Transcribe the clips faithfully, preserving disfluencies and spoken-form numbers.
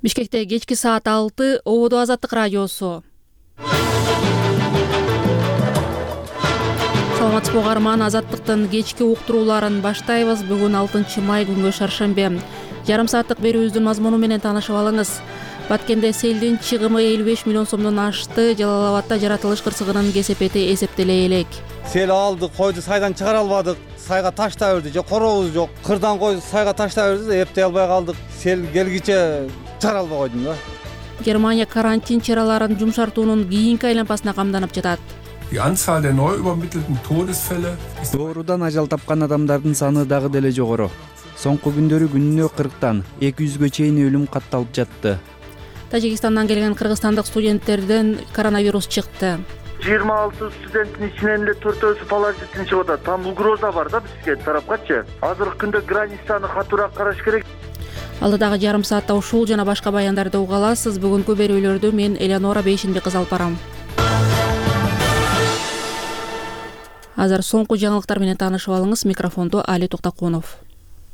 Бишкекте кечки саат алты ободо Азаттык радиосу. Саламатсызбы угарман, Азаттыктын кечки уктурууларын баштайбыз. Бүгүн алтынчы май күнгө шаршембе. Жарым сааттык берүүбүздүн мазмуну менен таанышып алыңыз. Баткенде селдин чыгымы элүү беш миллион сомдон ашты. Жалал Абадда жаратылыш кырсыгынын кесепети эсептеле элек. Сел алды, койду сайдан чыгара албадык. Сайга ташта берди, же коробуз жок. Кырдан койду сайга ташта берди, эптей албай калдык. Сел келгиче чыгара албай койдум да. Германия карантин чараларын жумшартуунун кийинки айланпасына камданып жатат. Die Anzahl der neu übermittelten Todesfälle ist Доорудан ажал тапкан адамдардын саны дагы деле жогору. Соңку күндөрү күнүнө кырктан эки жүзгө чейин өлүм катталып жатты. Тажикстандан келген кыргызстандык студенттерден коронавирус чыкты. жыйырма алты студенттин ичинен эле төртөөсү положительный чыгып атат. Там угроза бар да бизге тарапкачы. Азыркы күндө границаны катуураак караш керек. Алдыдагы жарым саатта ушул жана башка баяндарды уга аласыз. Бүгүнкү берүүлөрдү мен Элеонора Бейшинбек кызы алып барам. Азыр соңку жаңылыктар менен таанышып алыңыз. Микрофондо Али Токтокунов.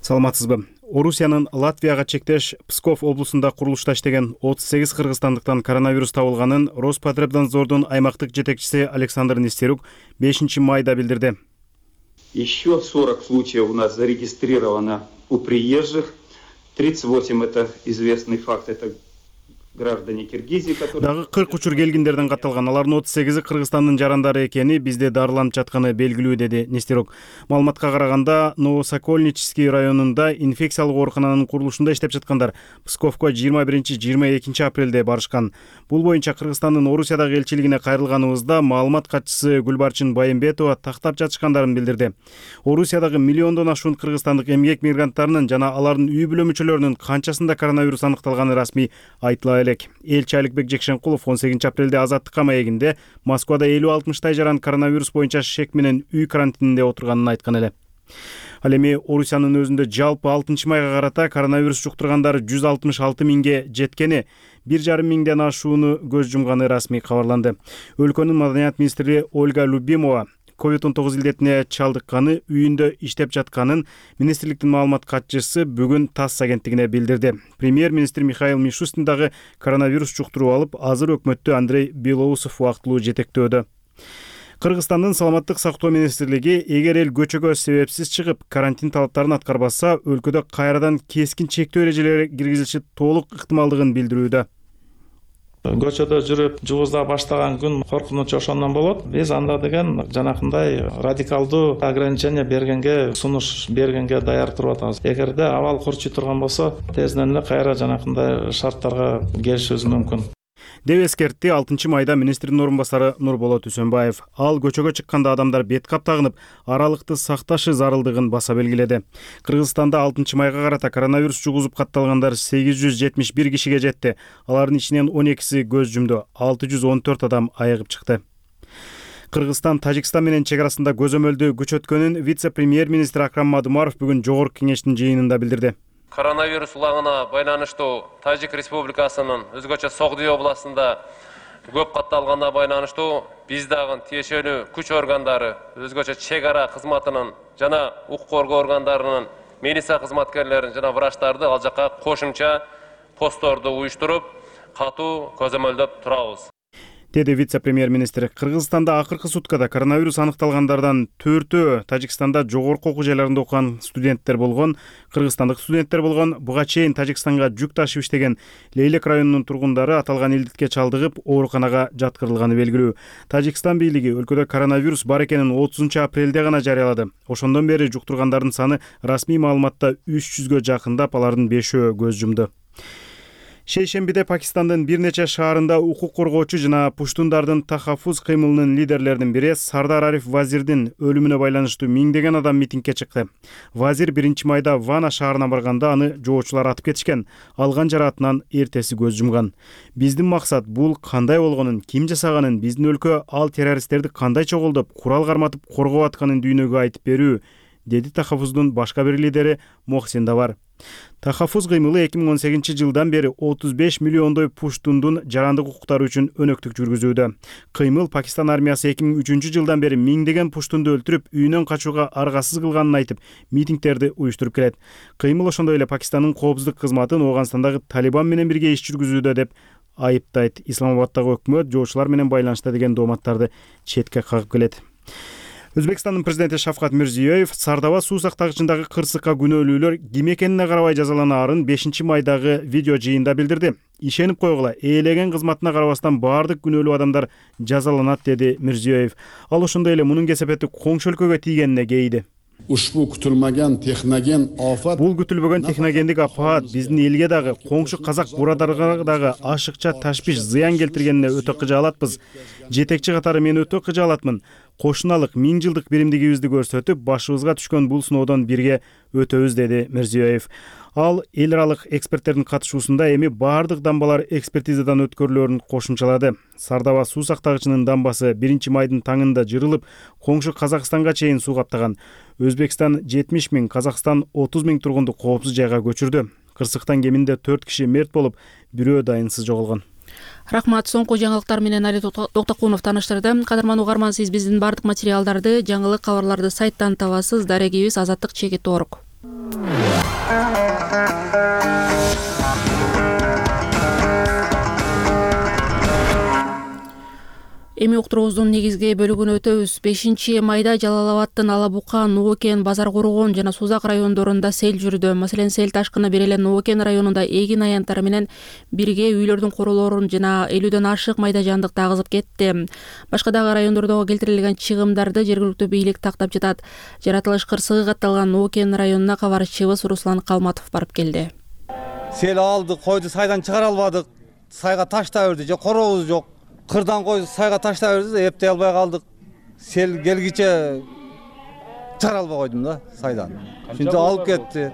Саламатсызбы. Орусиянын Латвияга чектеш Псков облусунда курулушта иштеген отуз сегиз кыргызстандыктан коронавирус табылганын Роспотребнадзордун аймактык жетекчиси Александр Нестерук бешинчи майда билдирди. Еще сорок случаев у нас зарегистрировано у приезжих. тридцать восемь это известный факт, это граждане Киргизии, которые... Дагы кырк учур келгиндерден катталган. Алардын отуз сегизи Кыргызстандын жарандары экени, бизде дарыланып жатканы белгилүү, деди Нестерук. Маалыматка караганда, Новосокольнический районунда инфекциялык оорукананын курулушунда иштеп жаткандар Псковко жыйырма биринчи жыйырма экинчи апрелде барышкан. Бул боюнча Кыргызстандын Орусиядагы элчилигине кайрылганыбызда маалымат катчысы Гүлбарчын Байымбетова тактап жатышкандарын билдирди. Орусиядагы миллиондон ашуун кыргызстандык эмгек мигранттарынын жана алардын үй бүлө мүчөлөрүнүн канчасында коронавирус аныкталганы расмий айтыла элек. Элчи Аликбек Жекшенкулов он сегизинчи апрелде Азаттыкка маегинде Москвада элүү алтымыштай жаран коронавирус боюнча шек менен үй карантининде отурганын айткан эле. Ал эми Орусиянын өзүндө жалпы алтынчы майга карата коронавирус жуктургандар жүз алтымыш алты миңге жеткени, бир жарым миңден ашууну көз жумганы расмий кабарланды. Өлкөнүн маданият министри Ольга Любимова ковид он тогуз илдетине чалдыкканы, үйүндө иштеп жатканын министрликтин маалымат катчысы бүгүн ТАСС агенттигине билдирди. Премьер-министр Михаил Мишустин дагы коронавирус жуктуруп алып, азыр өкмөттү Андрей Белоусов убактылуу жетектөөдө. Кыргызстандын саламаттык сактоо министрлиги эгер эл көчөгө себепсиз чыгып, карантин талаптарын аткарбаса, өлкөдө кайрадан кескин чектөө эрежелери киргизилиши толук ыктымалдыгын билдирүүдө. Көчөдө жүрүп жугузда баштаган күн коркунуч ошондон болот. Биз анда деген жанакындай радикалдуу ограничение бергенге, сунуш бергенге даяр туруп атабыз. Эгерде абал курчуй турган болсо, тезден эле кайра жанакындай шарттарга келишибиз мүмкүн. деп эскертти алтынчы майда министрдин орун басары Нурболот Үсөнбаев. Ал көчөгө чыкканда адамдар бет кап тагынып, аралыкты сакташы зарылдыгын баса белгиледи. Кыргызстанда алтынчы майга карата коронавирус жугузуп катталгандар сегиз жүз жетимиш бир кишиге жетти. Алардын ичинен он экиси көз жумду, алты жүз он төрт адам айыгып чыкты. Кыргызстан Тажикстан менен чек арасында көзөмөлдү күчөткөнүн вице-премьер-министр Акрам Мадумаров бүгүн жогорку кеңештин жыйынында билдирди. Коронавирус улаңына байланыштуу Тажик Республикасынын өзгөчө Согдий областында көп катталганына байланыштуу биз дагы тиешелүү күч органдары, өзгөчө чек ара кызматынын жана укук коргоо органдарынын милиция кызматкерлерин жана врачтарды ал жакка кошумча постторду уюштуруп, катуу көзөмөлдөп турабыз, деди вице-премьер-министр. Кыргызстанда акыркы суткада коронавирус аныкталгандардан төртөө Тажикстанда жогорку окуу жайларында окуган студенттер болгон. Кыргызстандык студенттер болгон. Буга чейин Тажикстанга жүк ташып иштеген Лейлек районунун тургундары аталган илдетке чалдыгып, ооруканага жаткырылганы белгилүү. Тажикстан бийлиги өлкөдө коронавирус бар экенин отузунчу апрелде гана жарыялады. Ошондон бери жуктургандардын саны расмий маалыматта үч жүзгө жакындап, алардын бешөө көз жумду. Шейшембиде Пакистандын бир нече шаарында укук коргоочу жана пуштундардын тахаффуз кыймылынын лидерлеринин бири Сардар Ариф Вазирдин өлүмүнө байланыштуу миңдеген адам митингге чыкты. Вазир биринчи майда Вана шаарына барганда аны жоочулар атып кетишкен. Алган жараатынан эртеси көз жумган. Биздин максат бул кандай болгонун, ким жасаганын, биздин өлкө ал террористтерди кандай чогулдуп, курал карматып коргоп атканын дүйнөгө айтып берүү, деди Тахафуздун башка бир лидери Мохсин Давар. Тахафуз кыймылы эки миң он сегизинчи жылдан бери отуз беш миллиондой пуштундун жарандык укуктары үчүн өнөктүк жүргүзүүдө. Кыймыл Пакистан армиясы эки миң үчүнчү жылдан бери миңдеген пуштунду өлтүрүп, үйүнөн качууга аргасыз кылганын айтып, митингдерди уюштуруп келет. Кыймыл ошондой эле Пакистандын коопсуздук кызматын Ооганстандагы Талибан менен бирге иш жүргүзүүдө деп айыптайт. Исламабадтагы өкмөт жоочулар менен байланышта деген дооматтарды четке кагып келет. Өзбекстандын президенти Шавкат Мирзиёев Сардаба суу сактагычындагы кырсыкка күнөөлүүлөр ким экенине карабай жазаланаарын бешинчи майдагы видео жыйында билдирди. Ишенип койгула, ээлеген кызматына карабастан баардык күнөөлүү адамдар жазаланат, деди Мирзиёев. Ал ошондой эле мунун кесепети коңшу өлкөгө тийгенине кейди. Ушбу күтүлмөгөн техноген афат. Бул күтүлбөгөн техногендик апаат биздин элге дагы, коңшу казак бурадарга дагы ашыкча ташпиш зыян келтиргенине өтө кыжаалатпыз. Жетекчи катары мен өтө кыжаалатмын. Кошуналык миң жылдык биримдигибизди көрсөтүп, башыбызга түшкөн бул сыноодон бирге өтөбүз, деди Мирзиёев. Ал эл аралык эксперттердин катышуусунда эми баардык дамбалар экспертизадан өткөрүлөрүн кошумчалады. Сардаба суу сактагычынын дамбасы биринчи майдын таңында жырылып, коңшу Казакстанга чейин суу каптаган. Өзбекстан жетимиш миң, Казакстан отуз миң тургунду коопсуз жайга көчүрдү. Кырсыктан кеминде төрт киши мерт болуп, бирөө дайынсыз жоголгон. Рахмат. Соңку жаңылыктар менен Али Токтокунов тааныштырды. Кадырман угарман, сиз биздин бардык материалдарды, жаңылык кабарларды сайттан табасыз. Дарегибиз Азаттык чекит орг. Эми уктуруубуздун негизги бөлүгүнө өтөбүз. бешинчи майда Жалал Абадтын Алабука, Нуукен, Базар Коргон жана Сузак райондорунда сел жүрдү. Маселен, сел ташкыны бир эле Нуукен районунда эгин аянттары менен бирге үйлөрдүн королорун жана элүүдөн ашык майда жандыкты агызып кетти. Башка дагы райондордо келтирилген чыгымдарды жергиликтүү бийлик тактап жатат. Жаратылыш кырсыгы катталган Нуукен районуна кабарчыбыз Руслан Калматов барып келди. Сел алды, койду сайдан чыгара албадык. Сайга ташта берди, же коробуз жок. Кырдан кой сайга ташта берди, эптей албай калдык. Сел келгиче чыгара албай койдум да сайдан. Ошентип алып кетти.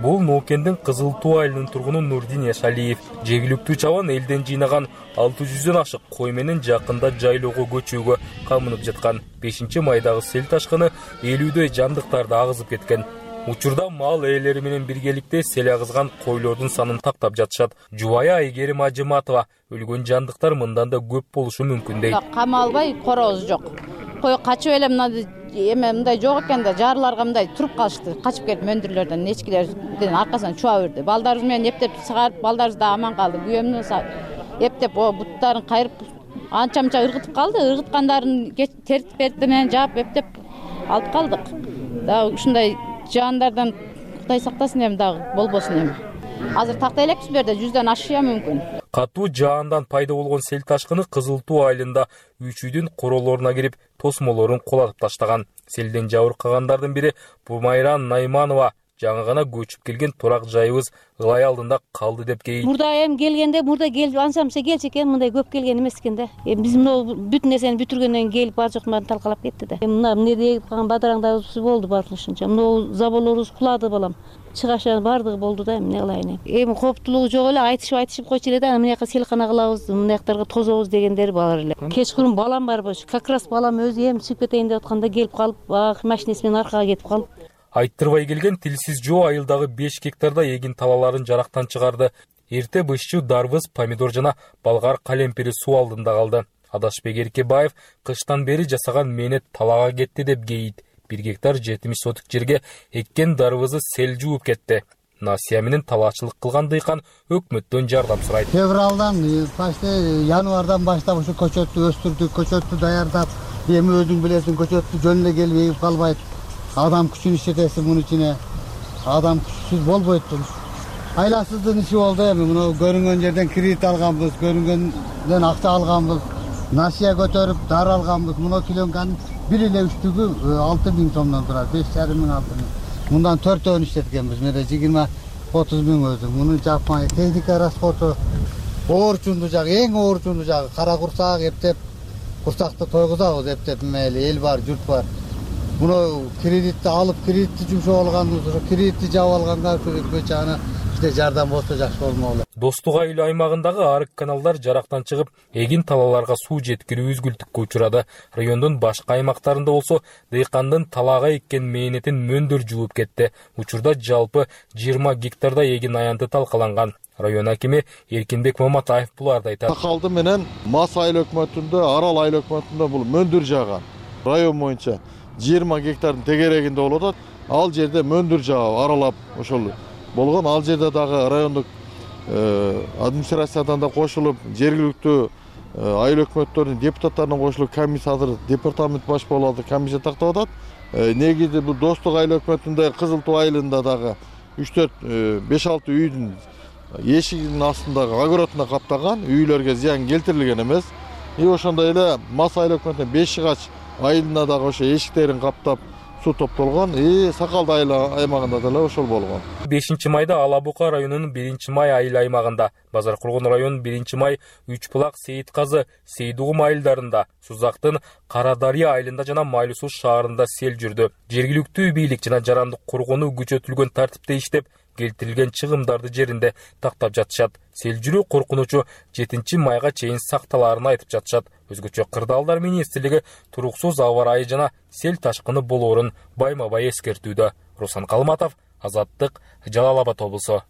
Бул Нуукендин Кызыл Туу айылынын тургуну Нурдин Яшалиев. Жергиликтүү чабан элден жыйнаган алты жүздөн ашык кой менен жакында жайлоого көчүүгө камынып жаткан. бешинчи майдагы сел ташкыны элүүдөй жандыктарды агызып кеткен. Учурда мал ээлери менен биргеликте сел агызган койлордун санын тактап жатышат. Жубайы Айгерим Ажыматова өлгөн жандыктар мындан да көп болушу мүмкүн дейт. Камалбай коробуз жок. Кой качып эле мындай эме мындай жок экен да жарларга мындай туруп калышты. Качып келип мөндүрлөрдөн нечкилердин аркасынан чуа берди. Балдарыбыз менен эптеп чыгарып, балдарыбыз да аман калды. Күйөөмдүн эптеп о буттарын кайрып анча-мынча ыргытып калды. Ыргыткандарын тертип берди менен жаап эптеп алып калдык. Да ушундай жандардан Кудай сактасын эми дагы болбосун эми. Азыр такта элекпиз берде жүздөн ашыя мүмкүн. Катуу жаандан пайда болгон сел ташкыны Кызыл Туу айылында үч үйдүн королоруна кирип, тосмолорун кулатып таштаган. Селден жабыркагандардын бири Бумайран Найманова жаңы гана көчүп келген турак жайыбыз ылай алдында калды деп кейт. Мурда эми келгенде, мурда келип ансамса келчү экен, мындай көп келген эмес экен да. Эми биз мына бүт нерсени бүтүргөндөн келип бар жок баарын талкалап кетти да. Эми мына эмне деп калган бадараңдарыбыз болду баарынча. Мына заборлорубуз кулады балам. Чыгаша бардыгы болду да, эмне кылайын. Эми кооптулугу жок эле, айтышып айтышып койчу эле да, мына жака селкана кылабыз, мына жактарга тозобуз дегендери бар эле. Кечкурун балам бар болчу. Как раз балам өзү эми чыгып кетейин деп атканда келип калып, машинеси менен аркага кетип калып. Айттырбай келген Тилсиз Жоо айылдагы беш гектарда эгин талаларын жарактан чыгарды. Эрте бышчу дарбыз, помидор жана болгар калемпири суу алдында калды. Адашбек Эркебаев кыштан бери жасаган мээнет талага кетти деп кейт. бир гектар жетимиш сотук жерге эккен дарбызы сел жууп кетти. Насия менен талаачылык кылган дыйкан өкмөттөн жардам сурайт. Февралдан, почти январдан баштап ушу көчөттү өстүрдүк, көчөттү даярдап, эми өзүң билесиң, көчөттү жөнүнө келип эгип калбайт. Адам күчүн иштетесиң мунун ичине. Адам күчсүз болбойт. Айласыздын иши болду эми. Муну көрүнгөн жерден кредит алганбыз, көрүнгөндөн акча алганбыз. Насия көтөрүп, дар алганбыз. Муну килонган бир эле үчтүгү алты миң сомдон турат, беш жарым миң алты миң. Мындан төртөөнү иштеткенбиз. Менде жыйырма отуз миң өзү. Муну жапмай техника расходу, оорчунду жагы, эң оорчунду жагы кара курсак эптеп, курсакты тойгузабыз эптеп, мейли эл бар, журт бар. Муну кредитти алып, кредитти жумшап алганбыз, ошо кредитти жаап алганга көчө аны бизге жардам болсо жакшы болмок эле. Достук айыл аймагындагы арык каналдар жарактан чыгып, эгин талааларга суу жеткирүү үзгүлтүккө учурады. Райондун башка аймактарында болсо дыйкандын талаага эккен мээнетин мөндөр жууп кетти. Учурда жалпы жыйырма гектарда эгин аянты талкаланган. Район акими Эркинбек Маматаев буларды айтат. Сакалды менен Мас айыл өкмөтүндө, Арал айыл өкмөтүндө бул мөндүр жааган. Район боюнча жыйырма гектардын тегерегинде болуп атат. Ал жерде мөндүр жаап аралап ошол болгон. Ал жерде дагы райондук администрациядан да кошулуп, жергиликтүү айыл өкмөттөрүнүн депутаттарына кошулуп, комиссия азыр департамент баш болуп атат, комиссия тактап атат. Негизи бул Достук айыл өкмөтүндө Кызыл Туу айылында дагы үч төрт беш алты үйдүн эшигинин астындагы огородуна каптаган, үйлөргө зыян келтирилген эмес. И ошондой эле Мас айыл өкмөтүнүн Беш Ыгач айылына дагы ошо эшиктерин каптап суу топтолгон. И Сакалды айыл аймагында деле ошол болгон. бешинчи майда Ала Бука районунун биринчи май айыл аймагында, Базар Кургон районунун биринчи май, Үч Булак, Сейит Казы, Сейдугум айылдарында, Сузактын Кара Дарыя айылында жана Майлуу Суу шаарында сел жүрдү. Жергиликтүү бийлик жана жарандык коргонуу күчөтүлгөн тартипте иштеп, келтирилген чыгымдарды жеринде тактап жатышат. Сел жүрүү коркунучу жетинчи майга чейин сакталаарын айтып жатышат. Өзгөчө Кырдаалдар министрлиги туруксуз аба ырайы жана сел ташкыны болоорун байма-бай эскертүүдө. Руслан Калматов, Азаттык, Жалал Абад облусу.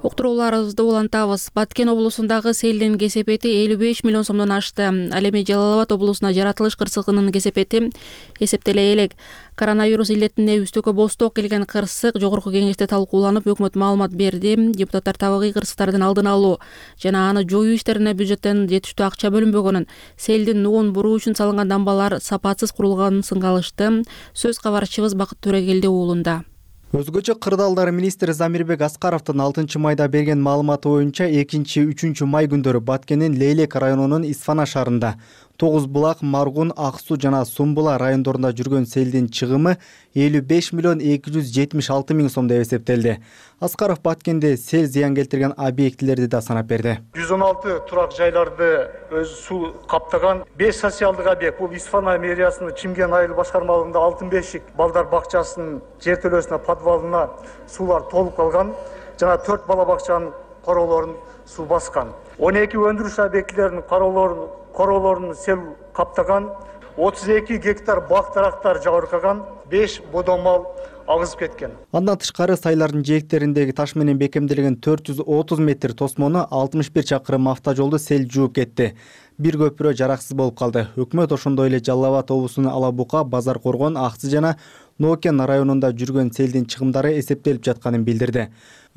Уктурууларыбызды улантабыз. Баткен облусундагы селдин кесепети элүү беш миллион сомдон ашты. Ал эми Жалал Абад облусуна жаратылыш кырсыгынын кесепети эсептеле элек. Коронавирус илетине үстөккө босток келген кырсык жогорку кеңеште талкууланып, өкмөт маалымат берди. Депутаттар табигый кырсыктардын алдын алуу жана аны жоюу иштерине бюджеттен жетиштүү акча бөлүнбөгөнүн, селдин нугун буруу үчүн салынган дамбалар сапатсыз курулганын сынгалышты. Сөз кабарчыбыз Бакыт Төрегелди уулунда. Өзгөчө Кырдаалдар министри Замирбек Аскаровдун алтынчы майда берген маалыматы боюнча экинчи үчүнчү май күндөрү Баткендин Лейлек районунун Исфана шаарында Тогуз Булак, Маргун, Ак Суу жана Сумбула райондорунда жүргөн селдин чыгымы элүү беш миллион эки жүз жетимиш алты миң сом деп эсептелди. Аскаров Баткенде сел зыян келтирген объектилерди да санап берди. жүз он алты турак жайларды өз суу каптаган беш социалдык объект. Бул Исфана мэриясынын Чимген айыл башкармалыгында Алтын бешик балдар бакчасынын жертөлөсүнө подвалына суулар толуп калган жана төрт бала бакчанын короолорун суу баскан. он эки өндүрүш объектилеринин короолорун короолорун сел каптаган, отуз эки гектар бак дарактар жабыркаган, беш бодон мал агызып кеткен. Андан тышкары сайлардын жээктериндеги таш менен бекемделген төрт жүз отуз метр тосмону алтымыш бир чакырым автожолду сел жууп кетти. Бир көпүрө жараксыз болуп калды. Өкмөт ошондой эле Жалал Абад облусунун Ала Бука, Базар Коргон, Аксы жана Нокен районунда жүргөн селдин чыгымдары эсептелип жатканын билдирди.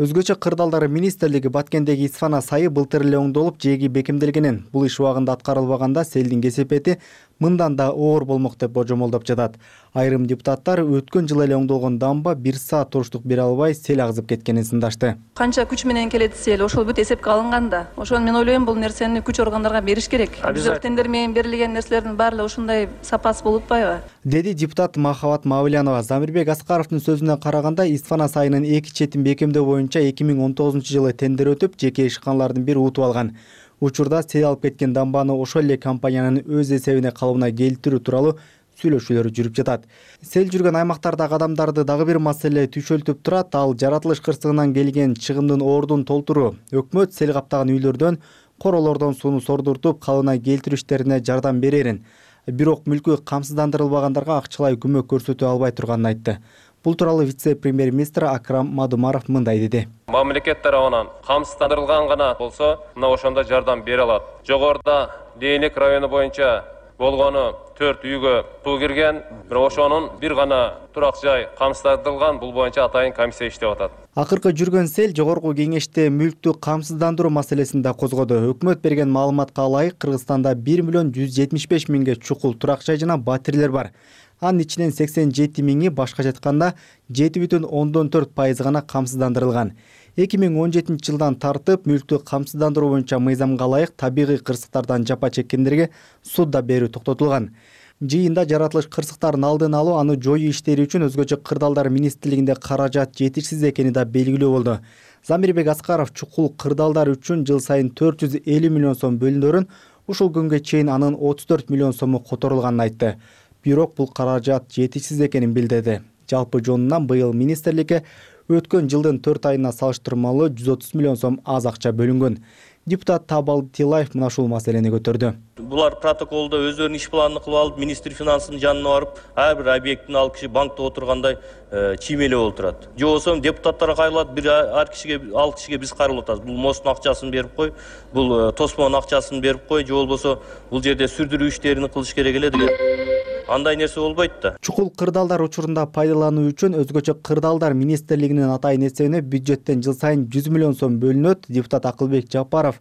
Өзгөчө Кырдаалдар министрлиги Баткендеги Исфана сайы былтыр эле оңдолуп, жээги бекемделгенин, бул иш убагында аткарылбаганда селдин кесепети мындан да оор болмок деп божомолдоп жатат. Айрым депутаттар өткөн жылы эле оңдолгон дамба бир саат туруштук бере албай сел агызып кеткенин сындашты. Канча күч менен келет сел, ошол бүт эсепке алынган да. Ошону мен ойлойм, бул нерсени күч органдарга бериш керек. Бизде тендер менен берилген нерселердин баары ушундай сапасы болуп атпайбы? Деди депутат Махабат Мавлянова. Замирбек Аскаровдун сөзүнө караганда, Исфана сайынын эки четин бекемдөө боюнча эки миң он тогузунчу жылы тендер өтүп, жеке ишканалардын бири утуп алган. Учурда сел алып кеткен дамбаны ошол эле компаниянын өз эсебине калыбына келтирүү тууралуу сүйлөшүүлөр жүрүп жатат. Сел жүргөн аймактардагы адамдарды дагы бир маселе түшөлтүп турат. Ал жаратылыш кырсыгынан келген чыгымдын ордун толтуруу. Өкмөт сел каптаган үйлөрдөн, короолордон сууну сордуртуп, калыбына келтирүү иштерине жардам берерин. Бирок мүлкү камсыздандырылбагандарга акчалай көмөк көрсөтө албай турганын айтты. Бул тууралуу вице-премьер-министр Акрам Мадумаров мындай деди. Мамлекет тарабынан камсыздандырылган гана болсо, мына ошондо жардам бере алат. Жогоруда Лейлек району боюнча болгону төрт үйгө суу кирген, бирок ошонун бир гана турак жай камсыздандырылган, бул боюнча атайын комиссия иштеп атат. Акыркы жүргөн сел жогорку кеңеште мүлктү камсыздандыруу маселесин да козгоду. Өкмөт берген маалыматка ылайык, Кыргызстанда бир миллион жүз жетимиш беш миңге чукул турак жай жана батирлер бар. Анын ичинен сексен жети миңи, башкача айтканда жети бүтүн ондон төрт пайыз гана камсыздандырылган. эки миң он жетинчи жылдан тартып мүлктү камсыздандыруу боюнча мыйзамга ылайык табигый кырсыктардан жапа чеккендерге суда берүү токтотулган. Жыйында жаратылыш кырсыктарын алдын алуу, аны жоюу иштери үчүн өзгөчө Кырдаалдар министрлигинде каражат жетишсиз экени да белгилүү болду. Замирбек Аскаров чукул кырдаалдар үчүн жыл сайын төрт жүз элүү миллион сом бөлүнөрүн, ушул күнгө чейин анын отуз төрт миллион сому которулганын айтты. Бирок бул каражат жетишсиз экенин билдирди. Жалпы жонунан быйыл министрликке өткөн жылдын төрт айына салыштырмалуу жүз отуз миллион сом аз акча бөлүнгөн. Депутат Табал Тилаев мына ушул маселени көтөрдү. Булар протоколдо өздөрүнүн иш планын кылып алып, министр финансынын жанына барып, ар бир объекттин ал киши банкта отургандай чиймелеп отурат. Же болбосо депутаттар кайрылат, бир ар кишиге ал кишиге биз кайрылып атабыз. Бул мосттун акчасын берип кой, бул тосмонун акчасын берип кой, же болбосо бул жерде сүрдүрүү иштерин кылыш керек эле деген. Андай нерсе болбойт да. Чукул кырдаалдар учурунда пайдалануу үчүн өзгөчө кырдаалдар министрлигинин атайын эсебине бюджеттен жыл сайын жүз миллион сом бөлүнөт. Депутат Акылбек Жапаров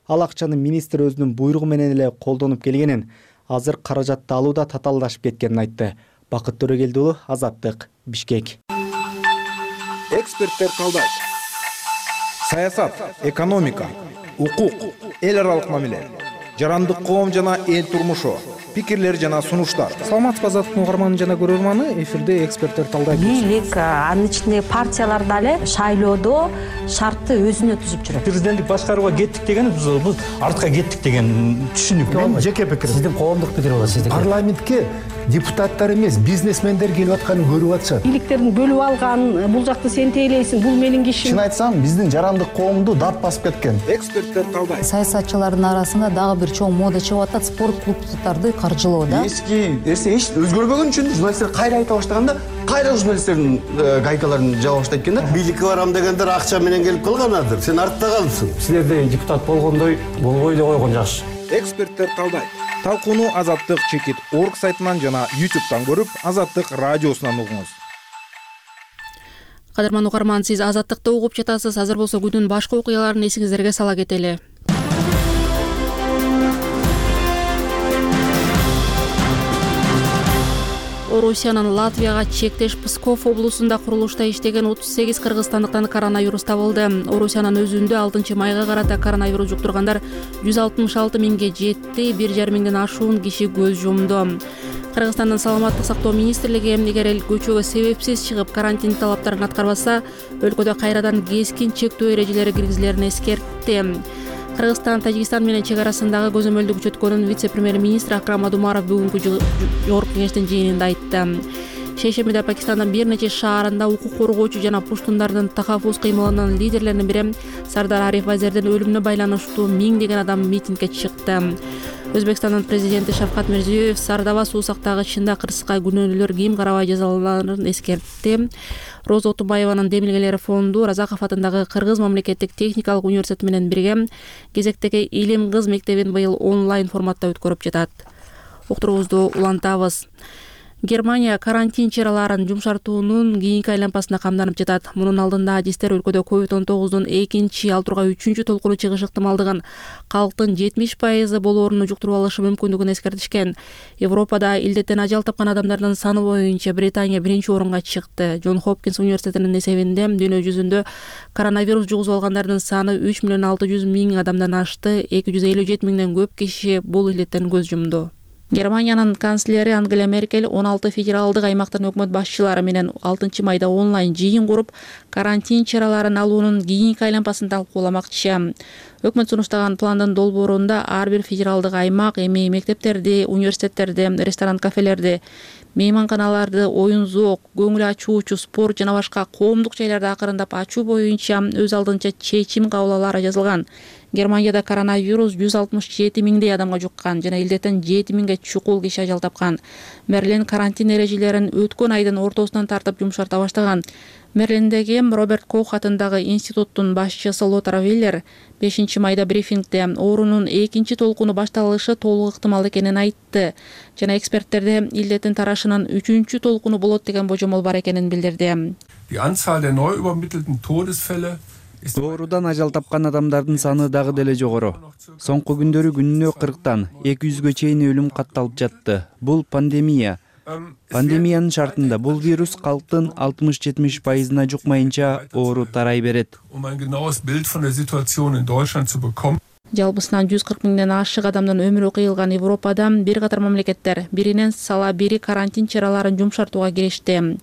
ал акчаны министр өзүнүн буйругу менен эле колдонуп келгенин, азыр каражатты алууда татаалдашып кеткенин айтты. Бакыт Төрөгелди уулу, Азаттык, Бишкек. Эксперттер талдайт. Саясат, экономика, укук, эл аралык мамиле, жарандык коом жана эл турмушу, пикирлер жана сунуштар. Саламатсызбы, Азаттыктын угарманы жана көрөрманы, эфирде эксперттер талдайт. Бийлик, анын ичинде партиялар дагы шайлоодо шартты өзүнө түзүп жүрөт. Президенттик башкарууга кеттик деген биз артка кеттик деген түшүнүк. Мен жеке пикирим. Сиздин коомдук пикир болот, сиздики. Парламентке депутаттар эмес, бизнесмендер келип атканын көрүп атышат. Бийликтерин бөлүп алган, бул жакты сен тейлейсиң, бул менин кишим. Чын айтсам, биздин жарандык коомду дат басып кеткен. Эксперттер талдайт. Саясатчылардын арасында дагы бир чоң мода чыгып атат, спорт клубдарды каржылоо да. Эски нерсе эч өзгөрбөгөн үчүн журналисттер кайра айта баштаганда, кайра журналисттердин гайкаларын жаба баштайт экен да. Бийликке барам дегендер акча менен келип калганадыр. Сен артта калыпсың. Силерде депутат болгондой болбой эле койгон жакшы. Эксперттер талдайт. Талкууну Азаттык чекит орг сайтынан жана ютубтан көрүп, Азаттык радиосунан угуңуз. Кадырман угарман, сиз Азаттыкты угуп жатасыз. Азыр болсо күндүн башка окуяларын эсиңиздерге сала кетели. Орусиянын Латвияга чектеш Псков облусунда курулушта иштеген отуз сегиз кыргызстандыктан коронавирус табылды. Орусиянын өзүндө алтынчы майга карата коронавирус жуктургандар жүз алтымыш алты миңге жетти, бир жарым миңден ашуун киши көз жумду. Кыргызстандын саламаттык сактоо министрлиги эгер эл көчөгө себепсиз чыгып карантин талаптарын аткарбаса, өлкөдө кайрадан кескин чектөө эрежелери киргизилерин эскертти. Кыргызстан Тажикстан менен чек арасындагы көзөмөлдү күчөткөнүн вице-премьер-министр Акрам Адумаров бүгүнкү жогорку кеңештин жыйынында айтты. Шейшембиде Пакистандын бир нече шаарында укук коргоочу жана пуштундардын такаффус кыймылынын лидерлеринин бири Сардар Ариф Азердин өлүмүнө байланыштуу миңдеген адам митингге чыкты. Өзбекстандын президенти Шавкат Мирзиёев Сардава суу сактагычында кырсыкка күнөөлүүлөр ким карабай жазаланарын эскертти. Роза Отунбаеванын демилгелери фонду Разаков атындагы Кыргыз мамлекеттик техникалык университети менен бирге кезектеги Илим кыз мектебин быйыл онлайн форматта өткөрүп жатат. Уктуруубузду улантабыз. Германия карантин чараларын жумшартуунун кийинки айланпасына камданып жатат. Мунун алдында адистер өлкөдө ковид он тогуздун экинчи, ал тургай үчүнчү толкуну чыгыш ыктымалдыгын, калктын жетимиш пайызы болооруну жуктуруп алышы мүмкүндүгүн эскертишкен. Европада илдеттен ажал тапкан адамдардын саны боюнча Британия биринчи орунга чыкты. Джон Хопкинс университетинин эсебинде дүйнө жүзүндө коронавирус жугузуп алгандардын саны үч миллион алты жүз миң адамдан ашты. эки жүз элүү жети миңден көп киши бул илдеттен көз жумду. Германиянын канцлери Ангела Меркель он алты федералдык аймактын өкмөт башчылары менен алтынчы майда онлайн жыйын куруп, карантин чараларын алуунун кийинки айланпасын талкууламакчы. Өкмөт сунуштаган пландын долбоорунда ар бир федералдык аймак эми мектептерди, университеттерди, ресторан, кафелерди, мейманканаларды, оюн зоок, көңүл ачуучу, спорт жана башка коомдук жайларды акырындап ачуу боюнча өз алдынча чечим кабыл алаары жазылган. Германияда коронавирус жүз алтымыш жети миңдей адамга жуккан жана илдеттен жети миңге чукул киши ажал тапкан. Мерлин карантин эрежелерин өткөн айдын ортосунан тартып жумшарта баштаган. Мерлиндеги Роберт Кох атындагы институттун башчысы Лотар Виллер бешинчи майда брифингде оорунун экинчи толкуну башталышы толук ыктымал экенин айтты жана эксперттерде илдеттин тарашынын үчүнчү толкуну болот деген божомол бар экенин билдирди. Die Anzahl der neu übermittelten Todesfälle Доорудан ажал тапкан адамдардын саны дагы деле жогору. Соңку күндөрү күнүнө кырктан эки жүзгө чейин өлүм катталып жатты. Бул пандемия. Пандемиянын шартында бул вирус калктын алтымыш жетимиш пайызына жукмайынча оору тарай берет. Жалпысынан жүз кырк миңден ашык адамдын өмүрү кыйылган Европада бир катар мамлекеттер биринен сала бири карантин чараларын жумшартууга киришти.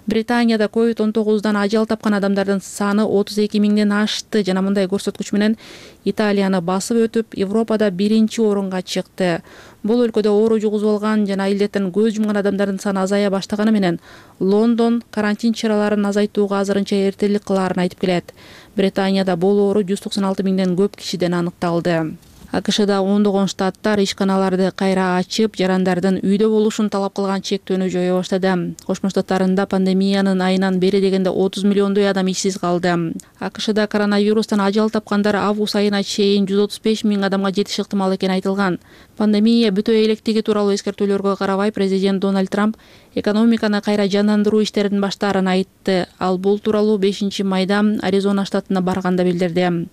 Британияда ковид он тогуздан ажал тапкан адамдардын саны отуз эки миңден ашты жана мындай көрсөткүч менен Италияны басып өтүп, Европада биринчи орунга чыкты. Бул өлкөдө оору жугузуп алган жана илдеттен көз жумган адамдардын саны азая баштаганы менен Лондон карантин чараларын азайтууга азырынча эртелик кылаарын айтып келет. Британияда бул оору жүз токсон алты миңден көп кишиден аныкталды. АКШда ондогон штаттар ишканаларды кайра ачып, жарандардын үйдө болушун талап кылган чектөөнү жое баштады. Кошмо Штаттарында пандемиянын айынан бери дегенде отуз миллиондой адам ишсиз калды. АКШда коронавирустан ажал тапкандар август айына чейин жүз отуз беш миң адамга жетиши ыктымал экени айтылган. Пандемия бүтө электиги тууралуу эскертүүлөргө карабай, президент Дональд Трамп экономиканы кайра жандандыруу иштерин баштаарын айтты. Ал бул тууралуу бешинчи майда Аризона штатына барганда билдирди.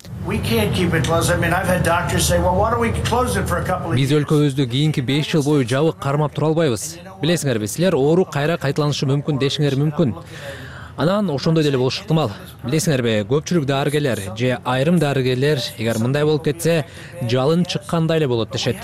Биз өлкөбүздү кийинки беш жыл бою жабык кармап тура албайбыз. Билесиңерби, силер оору кайра кайталанышы мүмкүн дешиңер мүмкүн. Анан ошондой деле болушу ыктымал. Билесиңерби, көпчүлүк дарыгерлер же айрым дарыгерлер эгер мындай болуп кетсе, жалын чыккандай эле болот дешет.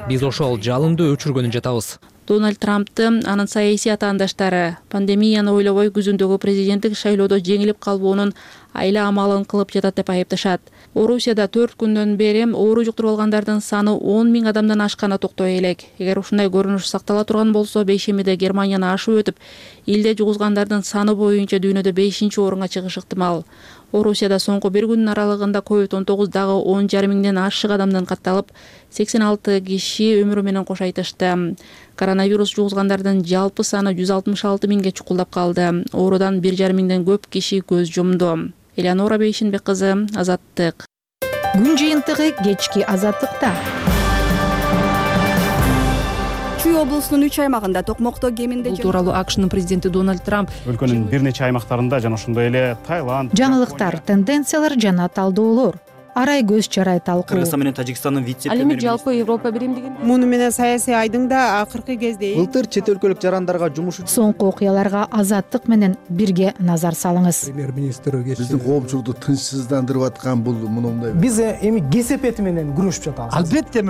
Биз ошол жалынды өчүргөнүн жатабыз. Дональд Трампты анын саясий атаандаштары пандемияны ойлобой күзүндөгү президенттик шайлоодо жеңилип калбоонун айла амалын кылып жатат деп айыпташат. Орусияда төрт күндөн бери оору жуктуруп алгандардын саны он миң адамдан ашканы токтой элек. Эгер ушундай көрүнүш сактала турган болсо, бейшембиде Германияны ашып өтүп, илде жугузгандардын саны боюнча дүйнөдө бешинчи орунга чыгышы ыктымал. Орусияда соңку бир күнүн аралыгында ковид он тогуз дагы он жарым миңден ашык адамдан катталып, сексен алты киши өмүрү менен кош айтышты. Коронавирус жугузгандардын жалпы саны жүз алтымыш алты миңге чукулдап калды. Оорудан бир жарым миңден көп киши көз жумду. Элеонора Бейшенбек кызы, Азаттык. Күн жыйынтыгы кечки Азаттыкта. Чүй облусунун үч аймагында токмокто кеминде бул тууралуу АКШнын президенти Дональд Трамп өлкөнүн бир нече аймактарында жана ошондой эле Таиланд, жаңылыктар, тенденциялар жана талдоолор, арай көз чарай талкуу. Кыргызстан менен Тажикстандын вице-премьери. Ал эми жалпы Европа биримдигин. Муну менен саясий айдың да акыркы кезде былтыр чет өлкөлүк жарандарга жумуш үчүн соңку окуяларга Азаттык менен бирге назар салыңыз. Премьер-министр биздин коомчулукту тынчсыздандырып аткан бул мындай. Биз эми кесепети менен күрөшүп жатабыз. Албетте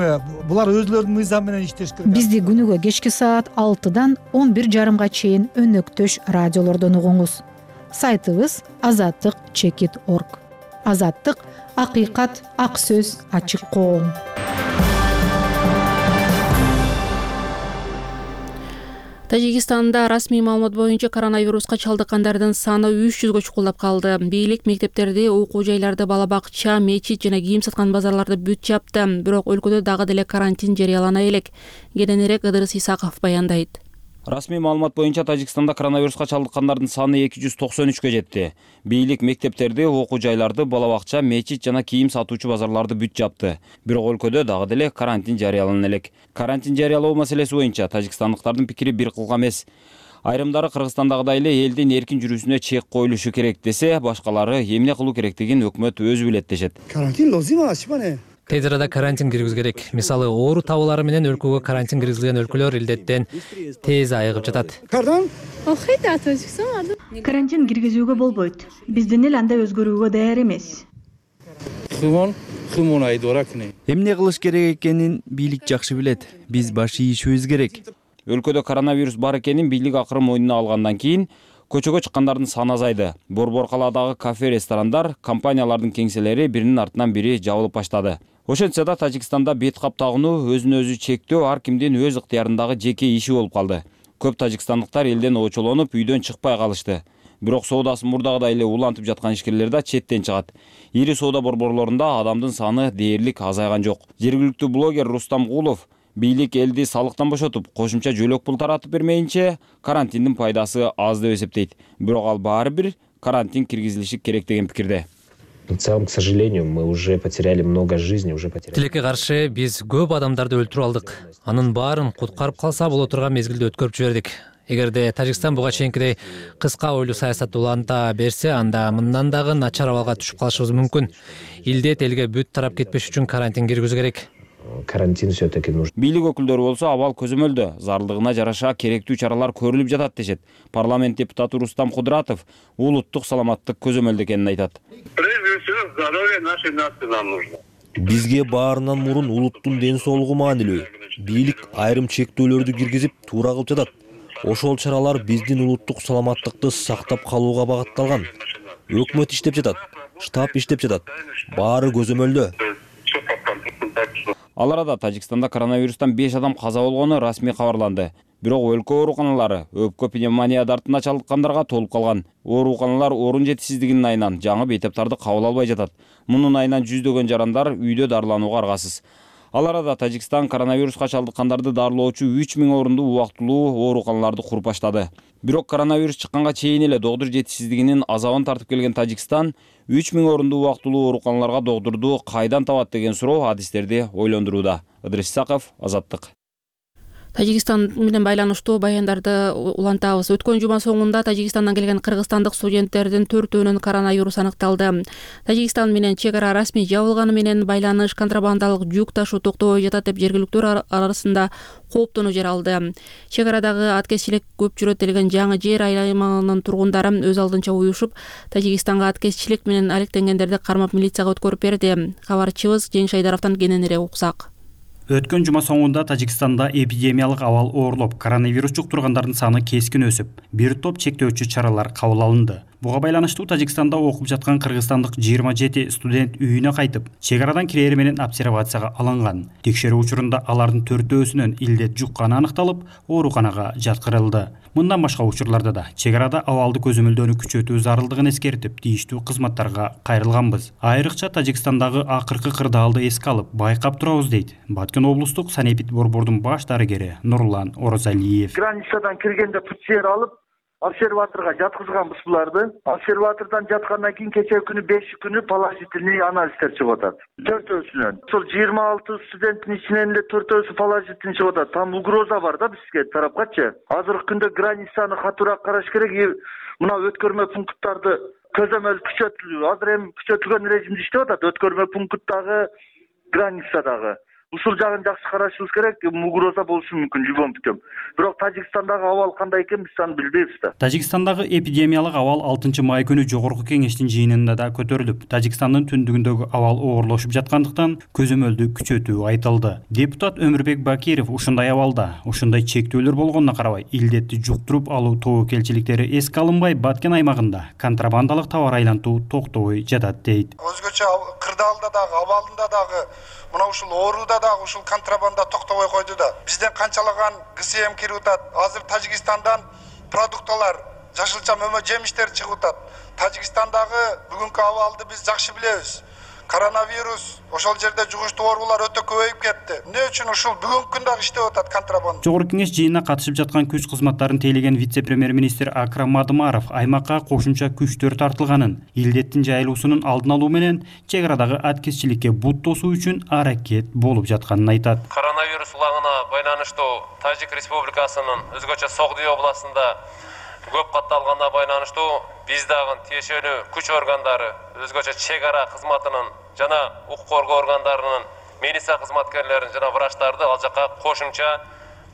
булар өзлөрүнүн мыйзамы менен иштеш керек. Бизди күнүгө кечки саат алтыдан он бир жарымга чейин өнөктөш радиолордон угуңуз. Сайтыбыз азаттык чекит точка орг. Азаттык — акыйкат, ак сөз, ачык коом. Тажикстанда расмий маалымат боюнча коронавируска чалдыккандардын саны үч жүзгө чукулдап калды. Бийлик мектептерди, окуу жайларды, бала бакча, мечит жана кийим саткан базарларды бүт жапты. Бирок өлкөдө дагы деле карантин жарыялана элек. Кененирээк Ыдырыс Исаков баяндайт. Расмий маалымат боюнча Тажикстанда коронавируска чалдыккандардын саны эки жүз токсон үчкө жетти. Бийлик мектептерди, окуу жайларды, бала бакча, мечит жана кийим сатуучу базарларды бүт жапты. Бирок өлкөдө дагы деле карантин жарыялана элек. Карантин жарыялоо маселеси боюнча тажикстандыктардын пикири бир кылга эмес. Айрымдары Кыргызстандагыдай эле элдин эркин жүрүүсүнө чек коюлушу керек десе, башкалары эмне кылуу керектигин өкмөт өзү билет дешет. Карантин лозима ашпане. Тез арада карантин киргиз керек. Мисалы, оору табуулары менен өлкөгө карантин киргизилген өлкөлөр илдеттен тез айыгып жатат. Карантин киргизүүгө болбойт. Биздин эл андай өзгөрүүгө даяр эмес. Эмне кылыш керек экенин бийлик жакшы билет. Биз баш ийишибиз керек. Өлкөдө коронавирус бар экенин бийлик акыры мойнуна алгандан кийин көчөгө чыккандардын саны азайды. Борбор калаадагы кафе, ресторандар, компаниялардын кеңселери биринин артынан бири жабылып баштады. Ошентсе да Тажикстанда бет кап тагынуу, өзүн өзү чектөө ар кимдин өз ыктыярындагы жеке иши болуп калды. Көп тажикстандыктар элден очолонуп, үйдөн чыкпай калышты. Бирок соодасын мурдагыдай эле улантып жаткан ишкерлер да четтен чыгат. Ири соода борборлорунда адамдын саны дээрлик азайган жок. Жергиликтүү блогер Рустам Гулов бийлик элди салыктан бошотуп, кошумча жөлөк пул таратып бермейинче карантиндин пайдасы аз деп эсептейт. Бирок ал баары бир карантин киргизилиши керек деген пикирде. В целом, к сожалению, мы уже потеряли много жизней, уже потеряли. Тилекке каршы биз көп адамдарды өлтүрүп алдык. Анын баарын куткарып калса боло турган мезгилде өткөрүп жибердик. Эгерде Тажикстан буга чейинкидей кыска ойлуу саясатты уланта берсе, анда мындан дагы начар абалга түшүп калышыбыз мүмкүн. Илдет элге бүт тарап кетпеш үчүн карантин киргизүү керек. Карантин все-таки нужен. Бийлик өкүлдөрү болсо абал көзөмөлдө, зардыгына жараша керектүү чаралар көрүлүп жатат дешет. Парламент депутаты Рустам Кудратов улуттук саламаттык көзөмөлдө экенин айтат. Прежде всего, здоровье нашей нации нам нужно. Бизге баарынан мурун улуттун ден соолугу маанилүү. Бийлик айрым чектөөлөрдү киргизип, туура кылып жатат. Ошол чаралар биздин улуттук саламаттыкты сактап калууга багытталган. Өкмөт иштеп жатат, штаб иштеп жатат. Баары көзөмөлдө. Ал арада Тажикстанда коронавирустан беш адам каза болгону расмий кабарланды. Бирок өлкө ооруканалары өпкө пневмония дартына чалдыккандарга толуп калган. Ооруканалар орун жетишсиздигинин айынан жаңы бейтаптарды кабыл албай жатат. Мунун айынан жүздөгөн жарандар үйдө дарыланууга аргасыз. Ал арада Тажикстан коронавируска чалдыккандарды дарылоочу үч миң орунду убактылуу ооруканаларды куруп баштады. Бирок коронавирус чыкканга чейин эле доктур жетишсиздигинин азабын тартып келген Тажикстан үч миң орунду убактылуу ооруканаларга доктурду кайдан табат деген суроо адистерди ойлондурууда. Ыдырыс Исаков, Азаттык. Тажикстан менен байланыштуу баяндарды улантабыз. Өткөн жума соңунда Тажикстандан келген кыргызстандык студенттердин төртөөнүн коронавирус аныкталды. Тажикстан менен чек ара расмий жабылганы менен байланыш, контрабандалык жүк ташуу токтобой жатат деп жергиликтүүлөр арасында кооптонуу жаралды. Чек арадагы аткезчилик көп жүрөт делген жаңы жер аймагынын тургундары өз алдынча уюшуп, Тажикстанга аткезчилик менен алектенгендерди кармап милицияга өткөрүп берди. Кабарчыбыз Жеңиш Айдаровдон кененирээк уксак. Өткөн жума соңунда Тажикстанда эпидемиялык абал оорлоп, коронавирус жуктургандардын саны кескин өсүп, бир топ чектөөчү чаралар кабыл алынды. Буга байланыштуу Тажикстанда окуп жаткан кыргызстандык жыйырма жети студент үйүнө кайтып, чек арадан кирери менен обсервацияга алынган. Текшерүү учурунда алардын төртөөсүнөн илдет жукканы аныкталып, ооруканага жаткырылды. Мындан башка учурларда да чек арада абалды көзөмөлдөөнү күчөтүү зарылдыгын эскертип, тийиштүү кызматтарга кайрылганбыз. Айрыкча Тажикстандагы акыркы кырдаалды эске алып, байкап турабыз дейт Баткен облустук санэпид борбордун баш дарыгери Нурлан Орозалиев. Границадан киргенде ПЦР алып, обсерваторга жаткызганбыз буларды. Обсерватордан жаткандан кийин кечээ күнү беш күнү положительный анализдер чыгып атат. Төртөөсүнөн. Ошол жыйырма алты студенттин ичинен эле төртөөсү положительный чыгып атат. Там угроза бар да бизге тарапкачы. Азыркы күндө границаны катуураак караш керек. Мына өткөрмө пункттарды көзөмөл күчөтүлүү. Азыр эми күчөтүлгөн режимде иштеп атат. Өткөрмө пункттагы, границадагы. Ушул жагын жакшы карашыбыз керек, угроза болушу мүмкүн любой путем. Бирок Тажикстандагы абал кандай экен биз аны билбейбиз да. Тажикстандагы эпидемиялык абал алтынчы май күнү жогорку кеңештин жыйынында да көтөрүлүп, Тажикстандын түндүгүндөгү абал оорлошуп жаткандыктан көзөмөлдү күчөтүү айтылды. Депутат Өмүрбек Бакиров ушундай абалда, ушундай чектөөлөр болгонуна карабай, илдетти жуктуруп алуу тобокелчиликтери эске алынбай, Баткен аймагында контрабандалык товар айлантуу токтобой жатат дейт. Өзгөчө кырдаалда дагы, абалында дагы, мына ушул ооруда дагы ушул контрабанда токтобой койду да. Бизден канчалаган ГСМ кирип атат. Азыр Тажикстандан продукталар, жашылча мөмө жемиштер чыгып атат. Тажикстандагы бүгүнкү абалды биз жакшы билебиз. Коронавирус ошол жерде жугуштуу оорулар өтө көбөйүп кетти. Эмне үчүн ушул бүгүнкү күндө иштеп атат контрабанда? Жогорку кеңеш жыйынына катышып жаткан күч кызматтарын тейлеген вице-премьер-министр Акрам Мадымаров аймакка кошумча күчтөр тартылганын, илдеттин жайылуусунун алдын алуу менен чек арадагы аткезчиликке бут тосуу үчүн аракет болуп жатканын айтат. Коронавирус улаңына байланыштуу Тажик Республикасынын өзгөчө Согдий областында көп катталганына байланыштуу биз дагы тиешелүү күч органдары, өзгөчө чек ара кызматынын жана укук коргоо органдарынын милиция кызматкерлерин жана врачтарды ал жакка кошумча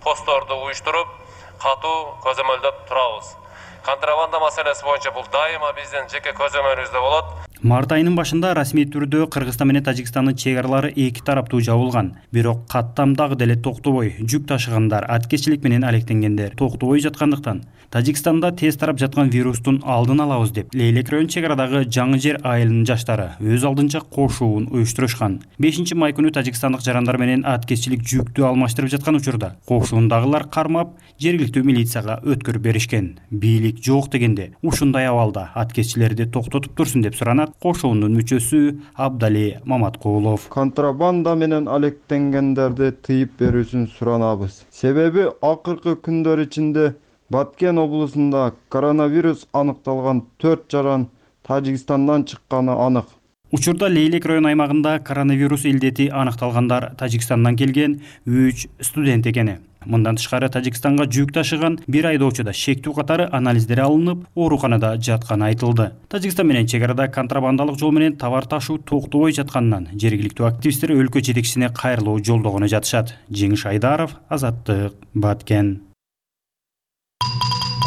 постторду уюштуруп, катуу көзөмөлдөп турабыз. Контрабанда маселеси боюнча бул дайыма биздин жеке көзөмөлүбүздө болот. Март айынын башында расмий түрдө Кыргызстан менен Тажикстандын чек аралары эки тараптуу жабылган. Бирок каттам дагы деле токтобой, жүк ташыгандар, аткезчилик менен алектенгендер токтобой жаткандыктан Тажикстанда тез тарап жаткан вирустун алдын алабыз деп, Лейлек район чек арадагы жаңы жер айылынын жаштары өз алдынча кошуун уюштурушкан. бешинчи май күнү Тажикстандык жарандар менен аткезчилик жүктү алмаштырып жаткан учурда кошуундагылар кармап, жергиликтүү милицияга өткөрүп беришкен. Бийлик жок дегенде, ушундай абалда аткезчилерди токтотуп турсун деп суранат кошуундун мүчөсү Абдали Маматкулов. Контрабанда менен алектенгендерди тыйып берүүсүн суранабыз. Себеби акыркы күндөр ичинде Баткен облусунда коронавирус аныкталган төрт жаран Тажикстандан чыкканы анык. Учурда Лейлек район аймагында коронавирус илдети аныкталгандар Тажикстандан келген үч студент экени. Мындан тышкары Тажикстанга жүк ташыган бир айдоочуда шектүү катары анализдер алынып, ооруканада жатканы айтылды. Тажикстан менен чек арада контрабандалык жол менен товар ташуу токтобой жатканынан жергиликтүү активисттер өлкө жетекчисине кайрылуу жолдогону жатышат. Жеңиш Айдаров, Азаттык, Баткен.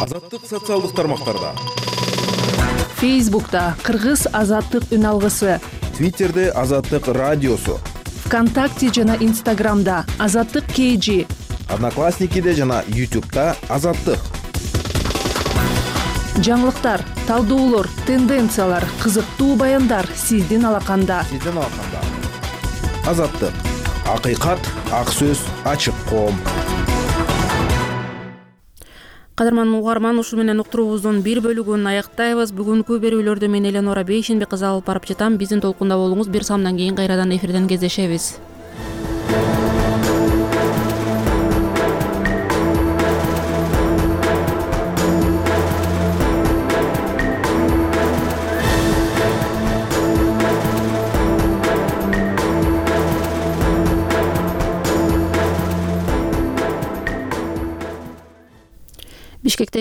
Азаттык социалдык тармактарда. Фейсбукта Кыргыз Азаттык үн алгысы. Твиттерде Азаттык радиосу. ВКонтакте жана Инстаграмда Азаттык кей жи. Одноклассникиде жана ютубта Азаттык. Жаңылыктар, талдоолор, тенденциялар, кызыктуу баяндар сиздин алаканда. Сиздин алаканда. Азаттык. Акыйкат, ак сөз, ачык коом. Кадырман угарман, ушул менен уктуруубуздун бир бөлүгүн аяктайбыз. Бүгүнкү берүүлөрдү мен Эленора Бейшенбек кызы алып барып жатам. Биздин толкунда болуңуз. Бир самдан кийин кайрадан эфирден кездешебиз. Бишкектеги